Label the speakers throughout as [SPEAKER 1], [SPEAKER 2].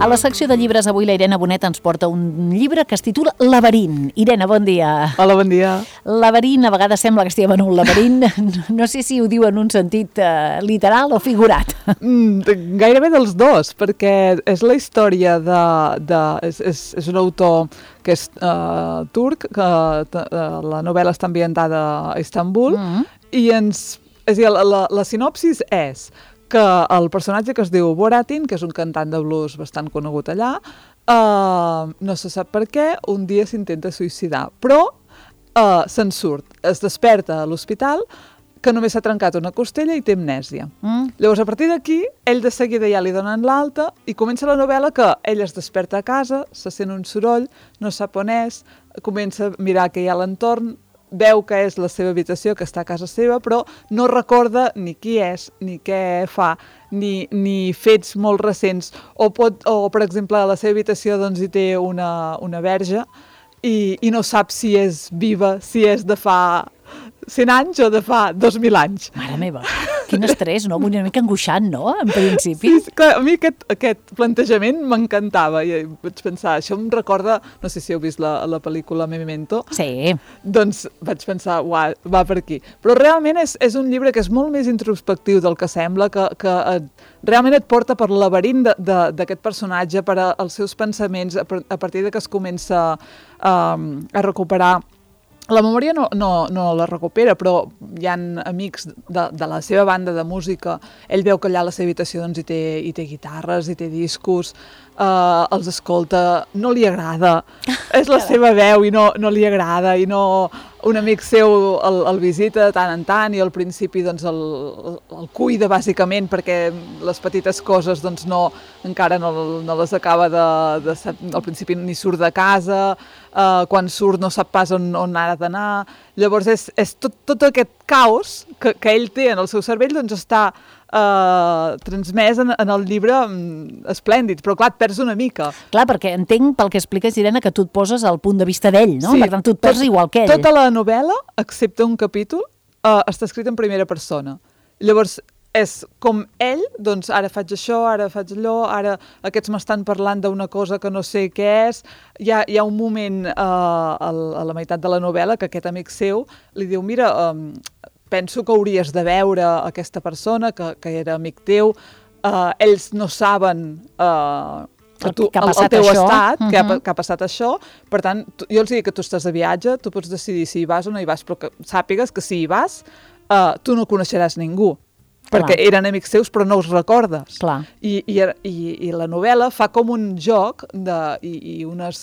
[SPEAKER 1] A la secció de llibres avui la Irene Bonet ens porta un llibre que es titula Laberint. Irene, bon dia.
[SPEAKER 2] Hola, bon dia.
[SPEAKER 1] Laberint, a vegades sembla que estiguem en un laberint. No sé si ho diu en un sentit literal o figurat.
[SPEAKER 2] Gairebé dels dos, perquè és la història és un autor que és turc, que la novel·la està ambientada a Istanbul, i la sinopsis és que el personatge que es diu Boratin, que és un cantant de blues bastant conegut allà, no se sap per què, un dia s'intenta suïcidar, però se'n surt, es desperta a l'hospital, que només s'ha trencat una costella i té amnèsia. Llavors, a partir d'aquí, ell de seguida ja li donen l'alta i comença la novel·la que ell es desperta a casa, se sent un soroll, no sap on és, comença a mirar què hi ha a l'entorn, veu que és la seva habitació, que està a casa seva, però no recorda ni qui és, ni què fa, ni fets molt recents. O per exemple, a la seva habitació doncs, hi té una verge i no sap si és viva, si és de fa 100 anys o de fa 2.000 anys.
[SPEAKER 1] Mare meva, quin estrès, no? Una mica angoixant, no?, en principi.
[SPEAKER 2] Sí, clar, a mi aquest plantejament m'encantava i vaig pensar, això em recorda, no sé si heu vist la pel·lícula Memento.
[SPEAKER 1] Sí.
[SPEAKER 2] Doncs vaig pensar, uau, va per aquí. Però realment és un llibre que és molt més introspectiu del que sembla, que realment et porta per el laberint d'aquest personatge, per als seus pensaments, a partir de que es comença a recuperar. La memòria no la recupera, però hi ha amics de la seva banda de música. Ell veu que allà a la seva habitació doncs, hi té guitarres, hi té discos, els escolta, no li agrada. És la seva veu i no li agrada, i un amic seu el visita de tant en tant i al principi doncs, el cuida bàsicament perquè les petites coses doncs, encara no les acaba al principi ni surt de casa, quan surt no sap pas on ha d'anar. Llavors és tot aquest caos que ell té en el seu cervell doncs està transmès en el llibre esplèndid, però clar, et perds una mica.
[SPEAKER 1] Clar, perquè entenc pel que expliques, Irene, que tu et poses al punt de vista d'ell, no?
[SPEAKER 2] Sí,
[SPEAKER 1] per tant, tu et perds igual que ell.
[SPEAKER 2] Tota la novel·la, excepte un capítol, està escrit en primera persona. Llavors, és com ell, doncs ara faig això, ara faig allò, ara aquests m'estan parlant d'una cosa que no sé què és. Hi ha un moment a la meitat de la novel·la que aquest amic seu li diu, mira, penso que hauries de veure aquesta persona que era amic teu, ells no saben el teu estat, que ha passat això, per tant, jo els dic que tu estàs de viatge, tu pots decidir si hi vas o no hi vas, però que sàpigues que si hi vas, tu no coneixeràs ningú. Perquè eren amics seus però no us recordes. I la novel·la fa com un joc i unes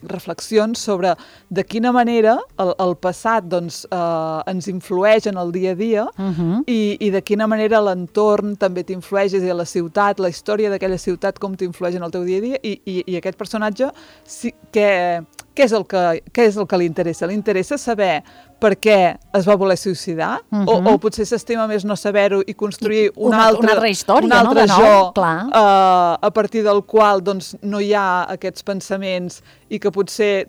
[SPEAKER 2] reflexions sobre de quina manera el passat doncs, ens influeix en el dia a dia i de quina manera l'entorn també t'influeix, és a dir, la ciutat, la història d'aquella ciutat, com t'influeix en el teu dia a dia i aquest personatge, què és el que li interessa? Li interessa saber per què es va voler suïcidar o potser s'estima més no saber-ho i construir una altra història, un altre jo a partir del qual doncs, no hi ha aquests pensaments i que potser,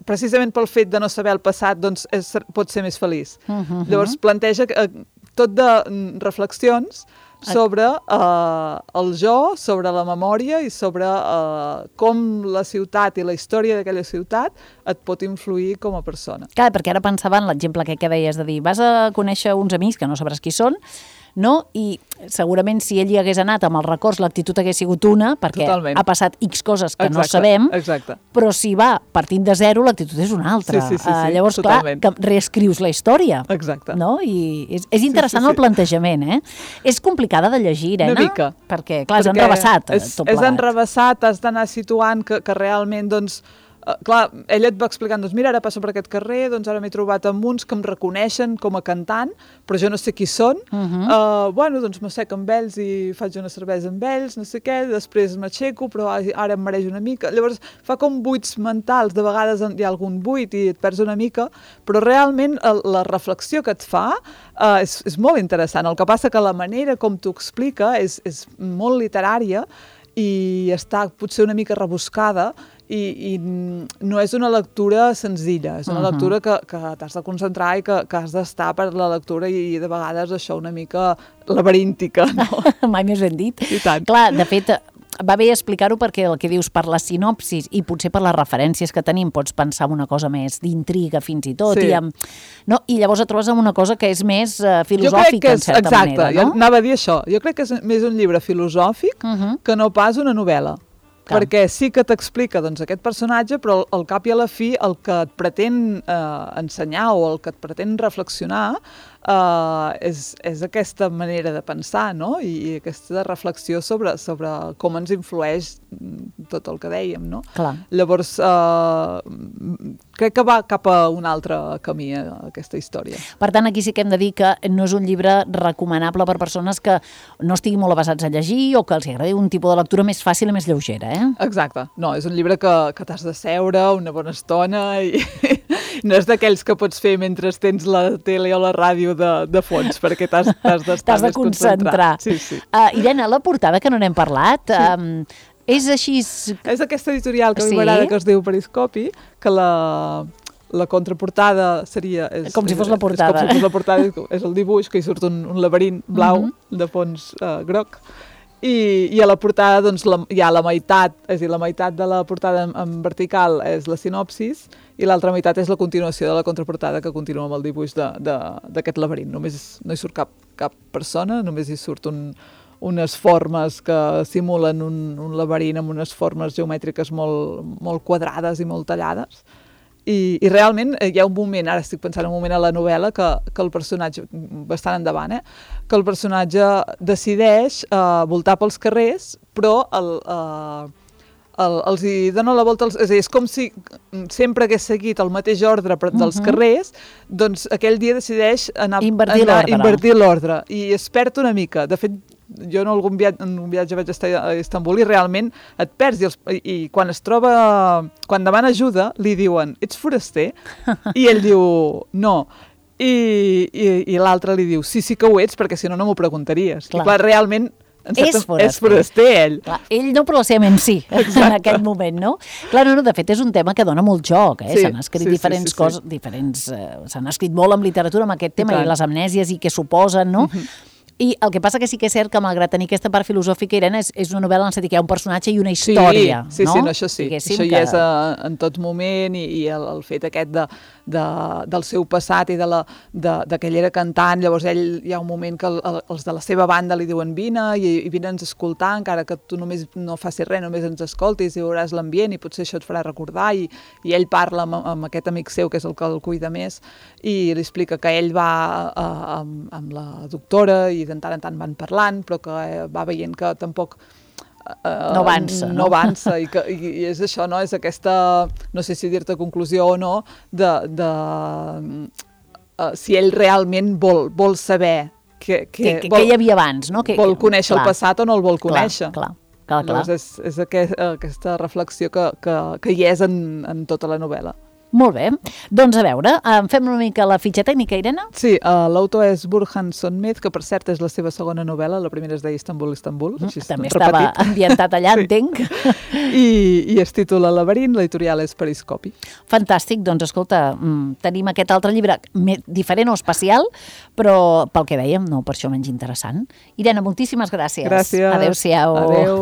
[SPEAKER 2] precisament pel fet de no saber el passat, doncs, pot ser més feliç. Llavors planteja tot de reflexions sobre el jo, sobre la memòria i sobre com la ciutat i la història d'aquella ciutat et pot influir com a persona.
[SPEAKER 1] Clar, perquè ara pensava en l'exemple que deies de dir, vas a conèixer uns amics que no sabràs qui són, no? I segurament si ell hi hagués anat amb els records l'actitud hagués sigut una, perquè ha passat X coses que no sabem, però si va partint de zero l'actitud és una altra. Llavors, clar, que reescrius la història.
[SPEAKER 2] Exacte.
[SPEAKER 1] I és interessant el plantejament, eh? És complicada de llegir, Irene?
[SPEAKER 2] Una mica.
[SPEAKER 1] Perquè, clar, és enrevessat tot plegat.
[SPEAKER 2] És enrevessat, has d'anar situant que realment, doncs, clar, ella et va explicant, doncs mira, ara passo per aquest carrer, doncs ara m'he trobat amb uns que em reconeixen com a cantant, però jo no sé qui són. Bueno, doncs m'assec amb ells i faig una cervesa amb ells, no sé què, després m'aixeco, però ara em mereix una mica. Llavors fa com buits mentals, de vegades hi ha algun buit i et perds una mica, però realment la reflexió que et fa és molt interessant. El que passa que la manera com t'ho explica és molt literària i està potser una mica rebuscada i no és una lectura senzilla, és una lectura que t'has de concentrar i que has d'estar per la lectura i de vegades això una mica laberíntica, no?
[SPEAKER 1] Mai més ben dit.
[SPEAKER 2] I tant.
[SPEAKER 1] Clar, de fet, va bé explicar-ho perquè el que dius per la sinopsis i potser per les referències que tenim pots pensar en una cosa més d'intriga fins i tot, i llavors et trobes amb una cosa que és més filosòfica, en certa manera.
[SPEAKER 2] Exacte, jo anava a dir això. Jo crec que és més un llibre filosòfic que no pas una novel·la. Perquè sí que t'explica aquest personatge, però al cap i a la fi el que et pretén ensenyar o el que et pretén reflexionar és aquesta manera de pensar, no? I aquesta reflexió sobre com ens influeix tot el que dèiem, no?
[SPEAKER 1] Clar.
[SPEAKER 2] Llavors, crec que va cap a un altre camí, aquesta història.
[SPEAKER 1] Per tant, aquí sí que hem de dir que no és un llibre recomanable per persones que no estiguin molt avesats a llegir o que els agradi un tipus de lectura més fàcil i més lleugera,
[SPEAKER 2] Exacte. No, és un llibre que t'has de seure una bona estona i no és d'aquells que pots fer mentre tens la tele o la ràdio de fons, perquè t'has d'estar més concentrar. Sí.
[SPEAKER 1] Irene, la portada, que no n'hem parlat, és així...
[SPEAKER 2] És aquesta editorial que a mi m'agrada, que es diu Periscopi, que la contraportada seria...
[SPEAKER 1] Com si fos la portada.
[SPEAKER 2] És com si fos la portada, és el dibuix, que hi surt un laberint blau de fons groc. I a la portada hi ha la meitat, és a dir, la meitat de la portada en vertical és la sinopsis i l'altra meitat és la continuació de la contraportada, que continua amb el dibuix d'aquest laberint. Només no hi surt cap persona, només hi surt unes formes que simulen un laberint amb unes formes geomètriques molt quadrades i molt tallades. I realment hi ha un moment, ara estic pensant un moment a la novel·la, que el personatge, bastant endavant, que el personatge decideix voltar pels carrers, però els hi dona la volta, és a dir, és com si sempre hagués seguit el mateix ordre dels carrers, doncs aquell dia decideix invertir l'ordre i es perd una mica. De fet, jo en un viatge vaig estar a Istanbul i realment et perds i quan quan demana ajuda li diuen, ets foraster? I ell diu, no. I l'altre li diu, sí que ho ets, perquè si no m'ho preguntaries. I clar, realment és foraster, ell.
[SPEAKER 1] Clar, ell no, però la seva ment sí, en aquell moment, no? Clar, de fet, és un tema que dona molt joc, s'han escrit diferents coses, s'han escrit molt en literatura amb aquest tema, i les amnèsies i què suposen, no? I el que passa que sí que és cert que, malgrat tenir aquesta part filosòfica, Irene, és una novel·la en el sentit que hi ha un personatge i una història, no?
[SPEAKER 2] Sí, això sí. Això hi és en tot moment, i el fet aquest del seu passat i de que ell era cantant. Llavors hi ha un moment que els de la seva banda li diuen vine i vine'ns a escoltar, encara que tu només no facis res, només ens escoltis i veuràs l'ambient i potser això et farà recordar, i ell parla amb aquest amic seu que és el que el cuida més i li explica que ell va amb la doctora i de tant en tant van parlant, però que va veient que tampoc
[SPEAKER 1] no avança
[SPEAKER 2] i és això, no? És aquesta, no sé si dir-te conclusió o no, si ell realment vol saber
[SPEAKER 1] què hi havia abans, no?
[SPEAKER 2] Vol conèixer el passat o no el vol conèixer.
[SPEAKER 1] Clar.
[SPEAKER 2] Llavors és aquesta reflexió que hi és en tota la novel·la.
[SPEAKER 1] Molt bé. Doncs a veure, fem una mica la fitxa tècnica, Irene?
[SPEAKER 2] Sí, l'autor és Burhan Sönmez, que per cert és la seva segona novel·la, la primera es deia Istanbul.
[SPEAKER 1] També estava ambientat allà, entenc.
[SPEAKER 2] I es titula Laberint, l'editorial és Periscopi.
[SPEAKER 1] Fantàstic, doncs escolta, tenim aquest altre llibre diferent o especial, però pel que dèiem, no per això menys interessant. Irene, moltíssimes gràcies.
[SPEAKER 2] Gràcies.
[SPEAKER 1] Adéu-siau.
[SPEAKER 2] Adéu.